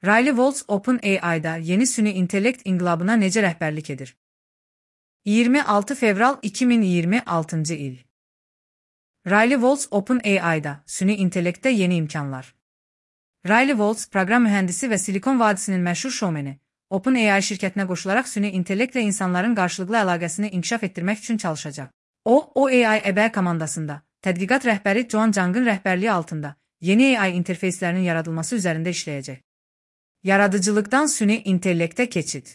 Riley Waltz OpenAI'da yeni süni intellekt inqilabına necə rəhbərlik edir? 26 fevral 2026 il. Riley Waltz OpenAI'da süni intellektdə yeni imkanlar. Riley Waltz, proqram mühəndisi və Silikon Vadisinin məşhur şoumeni, OpenAI şirkətinə qoşularaq süni intellektlə insanların qarşılıqlı əlaqəsini inkişaf etdirmək üçün çalışacaq. O AI əbəy komandasında, tədqiqat rəhbəri Joan Zhang'ın rəhbərliyi altında yeni AI interfeyslərinin yaradılması üzərində işləyəcək. Yaradıcılıqdan süni intellektə keçid.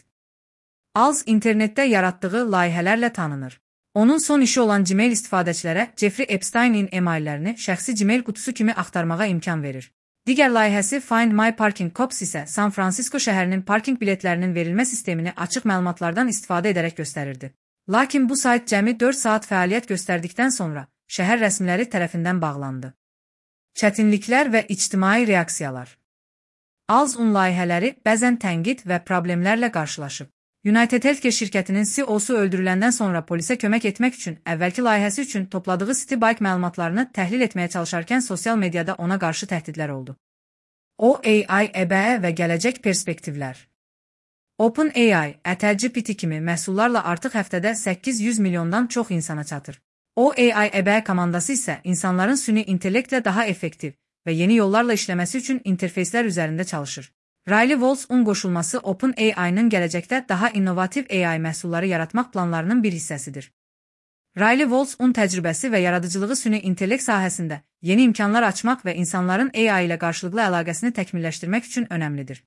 Alz internetdə yaratdığı layihələrlə tanınır. Onun son işi olan Gmail istifadəçilərə Jeffrey Epstein'in emaillərini şəxsi Gmail qutusu kimi axtarmağa imkan verir. Digər layihəsi Find My Parking Cops isə San Francisco şəhərinin parking biletlərinin verilmə sistemini açıq məlumatlardan istifadə edərək göstərirdi. Lakin bu sayt cəmi 4 saat fəaliyyət göstərdikdən sonra şəhər rəsmiləri tərəfindən bağlandı. Çətinliklər və ictimai reaksiyalar. Alz-un layihələri bəzən tənqid və problemlərlə qarşılaşıb. United Healthcare şirkətinin CEO-su öldürüləndən sonra polisə kömək etmək üçün əvvəlki layihəsi üçün topladığı Citibank məlumatlarını təhlil etməyə çalışarkən sosial mediada ona qarşı təhdidlər oldu. AI əbəyə və gələcək perspektivlər. OpenAI, ChatGPT kimi məhsullarla artıq həftədə 800 milyondan çox insana çatır. AI əbəyə komandası isə insanların süni intellektlə daha effektiv və yeni yollarla işləməsi üçün interfeyslər üzərində çalışır. Riley Waltz-un qoşulması OpenAI-nın gələcəkdə daha innovativ AI məhsulları yaratmaq planlarının bir hissəsidir. Riley Waltz-un təcrübəsi və yaradıcılığı süni intellekt sahəsində yeni imkanlar açmaq və insanların AI ilə qarşılıqlı əlaqəsini təkmilləşdirmək üçün önəmlidir.